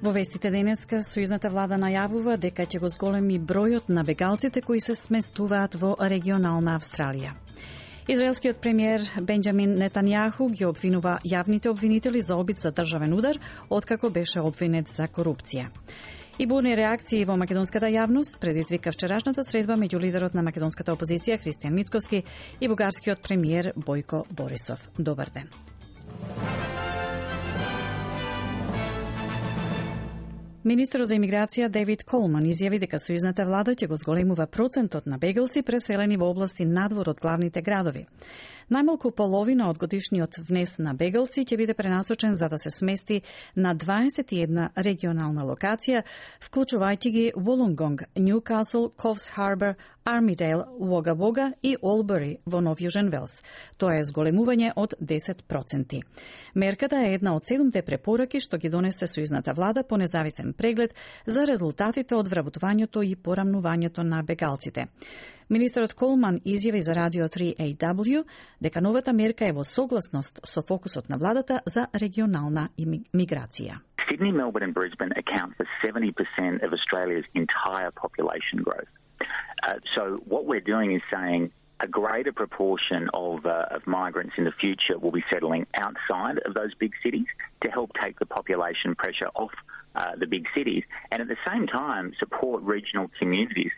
Во вестите денеска, сојузната влада најавува дека ќе го зголеми бројот на бегалците кои се сместуваат во регионална Австралија. Израелскиот премиер Бенџамин Нетањаху ги обвинува јавните обвинители за обид за државен удар, откако беше обвинет за корупција. И бурни реакции во македонската јавност предизвика вчерашната средба меѓу лидерот на македонската опозиција Христијан Мицковски и бугарскиот премиер Бојко Борисов. Добар ден. Министерот за имиграција Дейвид Колман изјави дека сојузната влада ќе го зголемува процентот на бегалци преселени во области надвор од главните градови. Најмалку половина од годишниот внес на бегалци ќе биде пренасочен за да се смести на 21 регионална локација, вклучувајќи ги Волонгонг, Ньюкасл, Ковс Харбор, Армидейл, Уога и Олбери во Нов Јужен Велс. Тоа е зголемување од 10%. Мерката е една од 7 препораки што ги донесе сојузната влада по независен преглед за резултатите од вработувањето и порамнувањето на бегалците. Министерот Колман изјави за радио 3AW дека новата мерка е во согласност со фокусот на владата за регионална миграција. Sydney, Melbourne and Brisbane account for 70% of Australia's entire population growth. So what we're doing is saying a greater proportion of migrants in the future will be settling outside of those big cities to help take the population pressure off the big cities and at the same time support regional communities.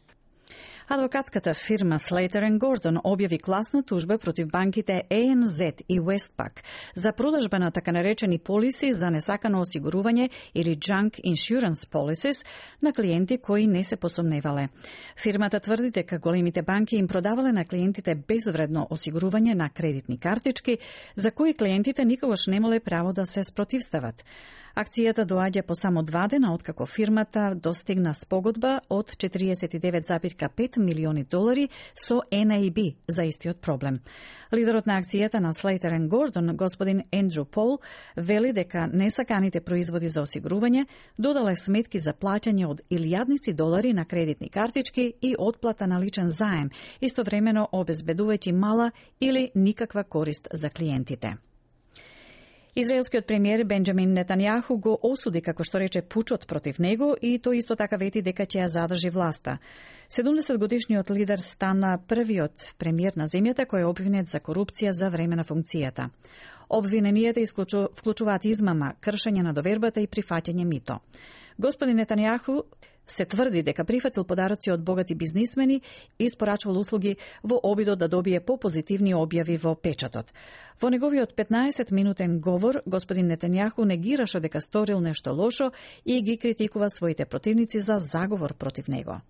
Адвокатската фирма Slater & Gordon објави класна тужба против банките ANZ и Westpac за продажба на така наречени полиси за несакано осигурување или junk insurance policies на клиенти кои не се посомневале. Фирмата тврди дека големите банки им продавале на клиентите безвредно осигурување на кредитни картички за кои клиентите никогаш немале право да се спротивстават. Акцијата доаѓа по само 2 дена откако фирмата достигна спогодба од 49,5 милиони долари со NAB за истиот проблем. Лидерот на акцијата на Slater & Gordon, господин Ендрю Пол, вели дека несаканите производи за осигурување додале сметки за плаќање од илјадници долари на кредитни картички и отплата на личен заем, истовремено обезбедувајќи мала или никаква корист за клиентите. Израелскиот премиер Бенџамин Нетањаху го осуди, како што рече, пучот против него и тој исто така вети дека ќе ја задржи власта. 70-годишниот лидер стана првиот премиер на земјата кој е обвинет за корупција за време на функцијата. Обвиненијата вклучуваат измама, кршење на довербата и прифаќање мито. Господин Нетањаху се тврди дека прифатил подароци од богати бизнисмени и испорачувал услуги во обидот да добие попозитивни објави во печатот. Во неговиот 15-минутен говор, господин Нетањаху негираше дека сторил нешто лошо и ги критикува своите противници за заговор против него.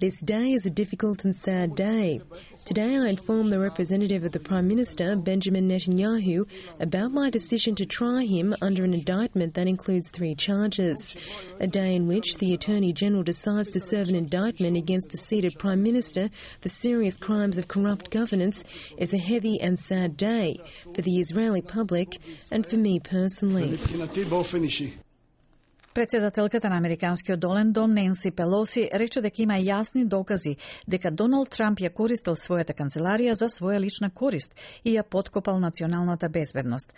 This day is a difficult and sad day. Today I informed the representative of the Prime Minister, Benjamin Netanyahu, about my decision to try him under an indictment that includes 3 charges. A day in which the Attorney General decides to serve an indictment against a seated Prime Minister for serious crimes of corrupt governance is a heavy and sad day for the Israeli public and for me personally. Председателката на Американскиот долен дом Ненси Пелоси рече дека има јасни докази дека Доналд Трамп ја користел својата канцеларија за своја лична корист и ја поткопал националната безбедност.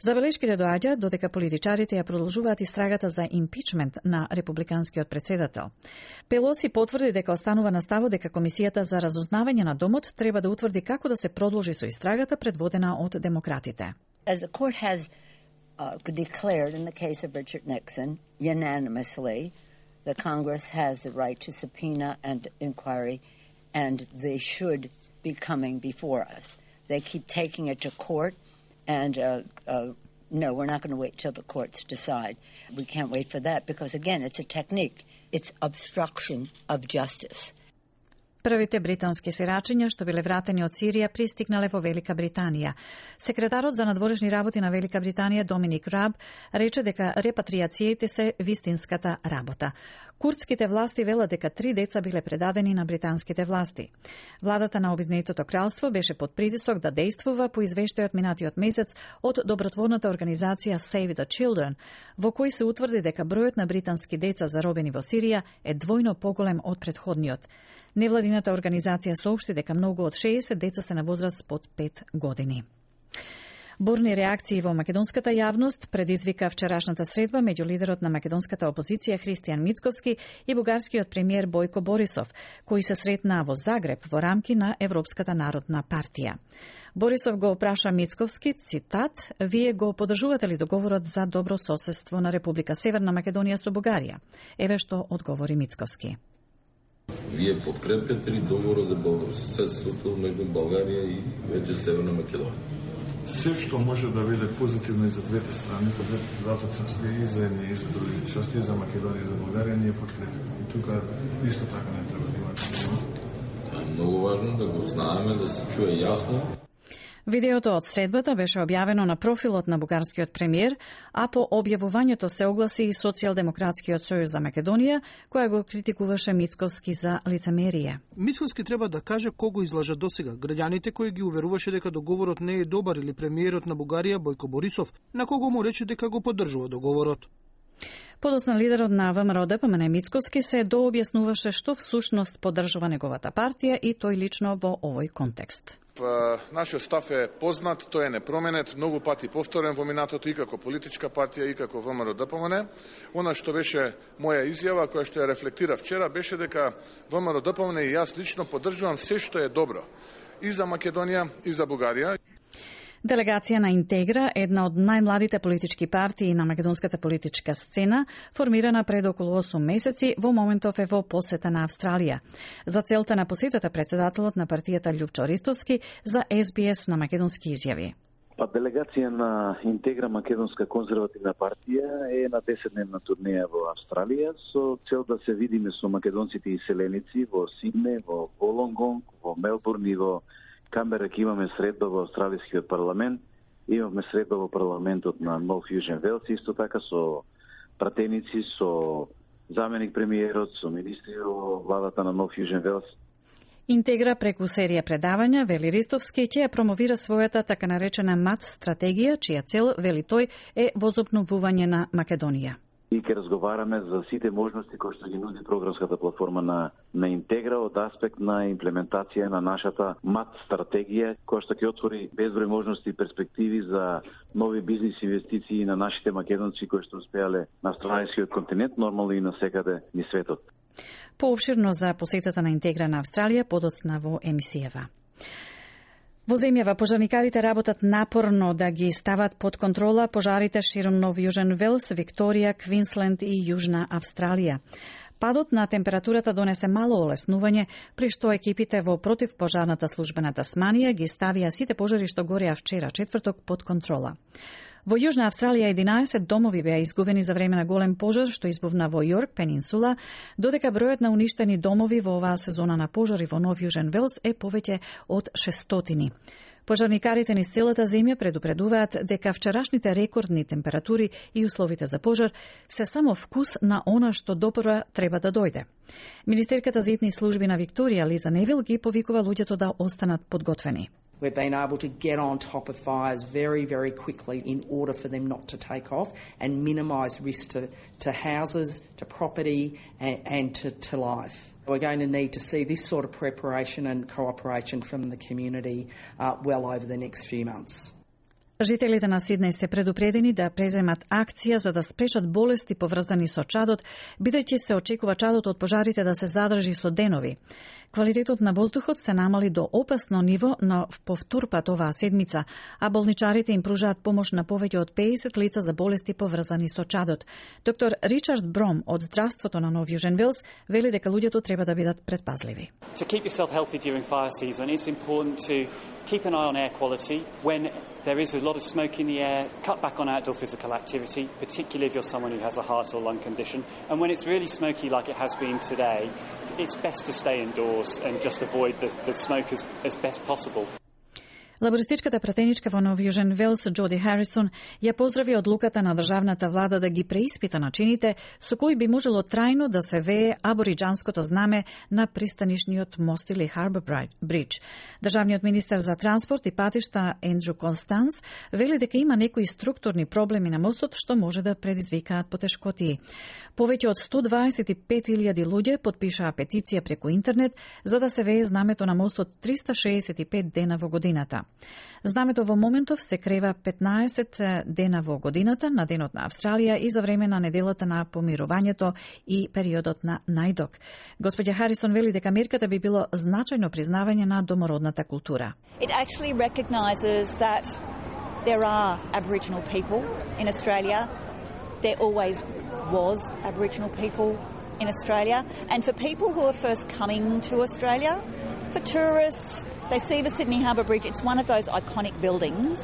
Забелешките доаѓаат додека политичарите ја продолжуваат истрагата за импичмент на републиканскиот председател. Пелоси потврди дека останува на ставот дека Комисијата за разузнавање на домот треба да утврди како да се продолжи со истрагата предводена од демократите. As the court has declared in the case of Richard Nixon unanimously, the Congress has the right to subpoena and inquiry, and they should be coming before us. They keep taking it to court, and no, we're not going to wait till the courts decide. We can't wait for that because, again, it's a technique. It's obstruction of justice. Првите британски сирачиња што биле вратени од Сирија пристигнале во Велика Британија. Секретарот за надворешни работи на Велика Британија Доминик Раб рече дека репатриациите се вистинската работа. Курдските власти велат дека 3 деца биле предадени на британските власти. Владата на Обединетото кралство беше под притисок да действува по извештајот минатиот месец од добротворната организација Save the Children, во кој се утврди дека бројот на британски деца заробени во Сирија е двојно поголем од претходниот. Невладината организација соопшти дека многу од 60 деца се на возраст под 5 години. Бурни реакции во македонската јавност предизвика вчерашната средба меѓу лидерот на македонската опозиција Христијан Мицковски и бугарскиот премиер Бојко Борисов, кои се сретнаа во Загреб во рамки на Европската народна партија. Борисов го опраша Мицковски, цитат, "Вие го поддржувате ли договорот за добро соседство на Република Северна Македонија со Бугарија?" Еве што одговори Мицковски. Вие подкрепяте ли договорот за добро соседството меѓу Бугарија и меѓу Северна Македонија? Се што може да биде позитивно и за двете страни, за двете части, и за едни и за други части, за Македонија и за Бугарија, ние подкрепяме. И тука исто така не треба да има. Тоа е многу важно да го знаеме, да се чуе јасно. Видеото од средбата беше објавено на профилот на бугарскиот премиер, а по објавувањето се огласи и Социјалдемократскиот сојуз за Македонија, која го критикуваше Мицковски за лицемерие. Мицковски треба да каже кого излажа досега, граѓаните кои ги уверуваше дека договорот не е добар или премиерот на Бугарија Бојко Борисов, на кого му рече дека го поддржува договорот. Подоцна лидерот на ВМРО ДПМН Мицковски се дообјаснуваше што всушност поддржува неговата партија и тој лично во овој контекст. Нашиот став е познат, тој е непроменет, многу пати повторен во минатото и како политичка партија и како ВМРО ДПМН. Она што беше моја изјава, која што ја рефлектира вчера, беше дека ВМРО ДПМН и јас лично поддржувам се што е добро и за Македонија и за Бугарија. Делегација на Интегра, една од најмладите политички партии на македонската политичка сцена, формирана пред околу 8 месеци, во моментов е во посета на Австралија. За целта на посетата председателот на партијата Љупчо Ристовски за СБС на македонски изјави. Делегација на Интегра македонска конзервативна партија е на 10-дневна турнеја во Австралија со цел да се видиме со македонците иселеници во Сидне, во Волонгонг, во Мелбурн и во Камбера. Ке имаме средба во Австралискиот парламент, имаме средба во парламентот на Нов Јужен Велс, исто така со пратеници, со заменик премиерот, со министри во владата на Нов Јужен Велс. Интегра преку серија предавања, вели Ристовски, ќе ја промовира својата така наречена МАТ стратегија, чија цел, вели тој, е возобновување на Македонија. И ќе разговараме за сите можности кои што ги нуди програмската платформа на Интегра од аспект на имплементација на нашата МАТ стратегија, која што ќе отвори безброј можности и перспективи за нови бизнис инвестиции на нашите македонци кои што успеале на австралискиот континент, нормално и на секаде низ светот. Поопширно за посетата на Интегра на Австралија подоцна во емисијава. Во земјава пожарникарите работат напорно да ги стават под контрола пожарите широм Нов Јужен Велс, Викторија, Квинсленд и Јужна Австралија. Падот на температурата донесе мало олеснување, при што екипите во противпожарната служба на Тасманија ги ставија сите пожари што гореа вчера, четврток, под контрола. Во Јужна Австралија 11 домови беа изгубени за време на голем пожар што избувна во Јорк Пенинсула, додека бројот на уништени домови во оваа сезона на пожари во Нов Јужен Велс е повеќе од 600. Пожарникарите низ целата земја предупредуваат дека вчерашните рекордни температури и условите за пожар се само вкус на она што допрва треба да дојде. Министерката за итни служби на Викторија Лиза Невил ги повикува луѓето да останат подготвени. We've been able to get on top of fires very, very quickly in order for them not to take off and minimise risk to houses, to property and to life. We're going to need to see this sort of preparation and cooperation from the community well over the next few months. Жителите на Сиднеј се предупредени да преземат акција за да спречат болести поврзани со чадот, бидејќи се очекува чадот од пожарите да се задржи со денови. Квалитетот на воздухот се намали до опасно ниво на повторпат оваа седмица, а болничарите им пружаат помош на повеќе од 50 лица за болести поврзани со чадот. Доктор Ричард Бром од здравството на Нов Јужен Велс вели дека луѓето треба да бидат предпазливи. To keep yourself healthy during fire season, it's important to keep an eye on air quality. When there is a lot of smoke in the air, cut back on outdoor physical activity, particularly if you're someone who has a heart or lung condition. And when it's really smoky like it has been today, it's best to stay indoors and just avoid the smoke as best possible. Лабористичката пратеничка во Нов Јужен Велс Джоди Харисон ја поздрави одлуката на државната влада да ги преиспита начините со кои би можело трајно да се вее абориџанското знаме на пристанишниот мост или Харбор Бридж. Државниот министер за транспорт и патишта Ендрю Констанс вели дека има некои структурни проблеми на мостот што може да предизвикаат потешкотии. Повеќе од 125.000 луѓе потпишаа петиција преку интернет за да се вее знамето на мостот 365 дена во годината. Знамето во моментов се крева 15 дена во годината на Денот на Австралија и за време на неделата на помирувањето и периодот на најдок. Господја Харисон вели дека мерката би било значајно признавање на домородната култура. It actually recognises that there are Aboriginal people in Australia. There always was Aboriginal people in Australia. And for people who are first coming to Australia, for tourists, they see the Sydney Harbour Bridge. It's one of those iconic buildings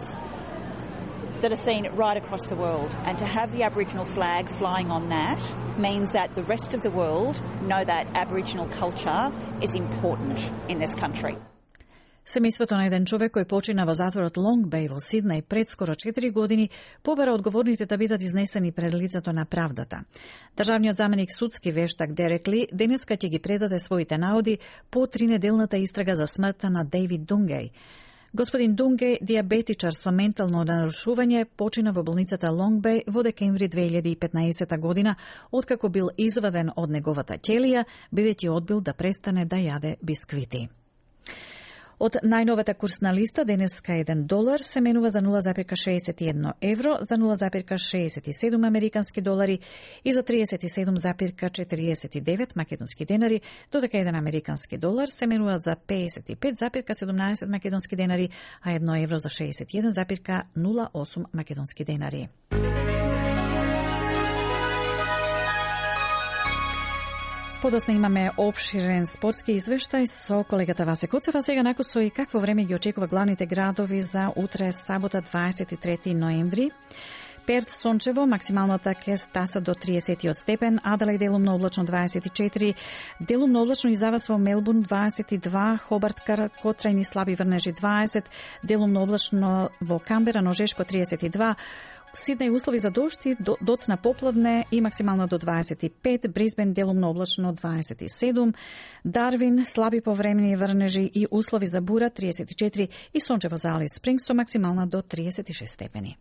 that are seen right across the world. And to have the Aboriginal flag flying on that means that the rest of the world know that Aboriginal culture is important in this country. Семејството на еден човек кој почина во затворот Лонг Беј во Сиднеј пред скоро 4 години побара одговорните да бидат изнесени пред лицето на правдата. Државниот заменик судски вештак Дерек Ли денеска ќе ги предаде своите наоди по 3-неделната истрага за смртта на Дейвид Дунгеј. Господин Дунгеј, диабетичар со ментално нарушување, почина во болницата Лонг Беј во декември 2015 година, откако бил изваден од неговата ќелија, бидејќи одбил да престане да јаде бисквити. Од најновата курсна листа денеска $1 се менува за 0,61 евро, за 0,67 американски долари и за 37,49 македонски денари, додека еден американски долар се менува за 55,17 македонски денари, а 1 евро за 61,08 македонски денари. Подосна имаме обширен спортски извештај со колегата Васе Коцева. Сега накусо и какво време ги очекува главните градови за утре, сабота 23 ноември. Перт сончево, максималната ќе стаса до 30 степен, Аделаид делумно облачно 24, делумно облачно и завас во Мелбурн 22, Хобарт краткотрајни слаби врнежи 20, делумно облачно во Камбера ножешко 32, Сиднеј услови за дожд и доцна поплавне и максимално до 25, Брисбен делумно облачно 27, Дарвин слаби повремени врнежи и услови за бура 34 и сончево за Алис Спрингс со максимална до 36 степени.